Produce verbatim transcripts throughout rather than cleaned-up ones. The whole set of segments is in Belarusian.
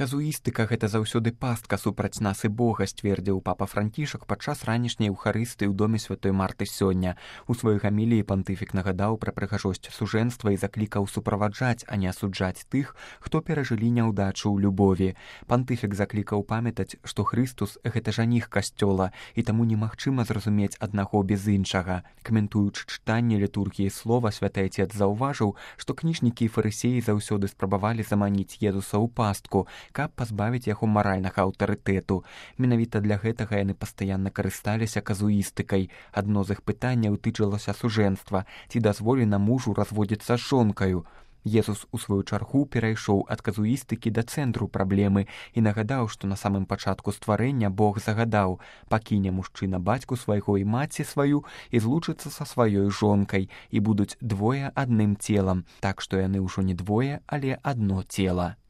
Казуістыка — гэта заўсёды пастка супраць нас і Бога, сцвердзіў папа Францішак падчас ранішняй еўхарыстыі ў доме святой Марты сёння. У сваёй гаміліі пантыфік нагадаў пра прыгажосць сужэнства і заклікаў суправаджаць, а не асуджаць тых, хто перажылі няўдачу ў любові. Пантыфік заклікаў памятаць, што Хрыстус — гэта жаніх касцёла, і таму немагчыма зразумець аднаго без іншага. Каментуючы чытанне літургіі слова, святы Атец заўважыў, што кніжнікі і фарысеі заўсёды спрабавалі заманіць Езуса ў пастку, каб пазбавіць яго маральнага аўтарытэту. Менавіта для гэтага яны пастаянна карысталіся казуістыкай. Адно з іх пытанняў тычылася сужэнства, ці дазволена мужу разводзіцца з жонкаю. Езус у сваю чаргу перайшоў ад казуістыкі да цэнтру праблемы і нагадаў, што на самым пачатку стварэння Бог загадаў: пакіне мужчына бацьку свайго і маці сваю і злучыцца са сваёй жонкай, і будуць двое адным целам, так што яны ўжо не двое, але адно цела.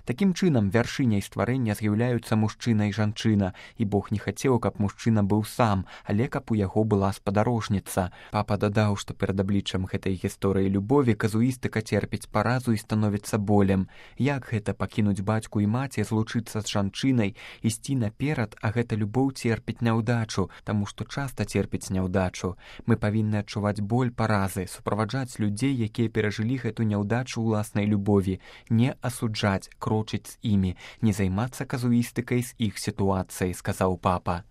Такім чынам, вяршыняй стварэння з'яўляюцца мужчына і жанчына, і Бог не хацеў, каб мужчына быў сам, але каб у яго была спадарожніца. Папа дадаў, што перад абліччам гэтай гісторыі любові казуістыка церпіць паразу і становіцца болем. Як гэта пакінуць бацьку і маці, злучыцца з жанчынай, ісці наперад, а гэта любоў церпіць няўдачу, таму што часта церпіць няўдачу. Мы павінны адчуваць боль паразы, суправаджаць людзей, якія перажылі гэту няўдачу ўласнай любові, не асуджаць, крочыць з імі, не займацца казуістыкай з іх сітуацыяй, сказаў папа.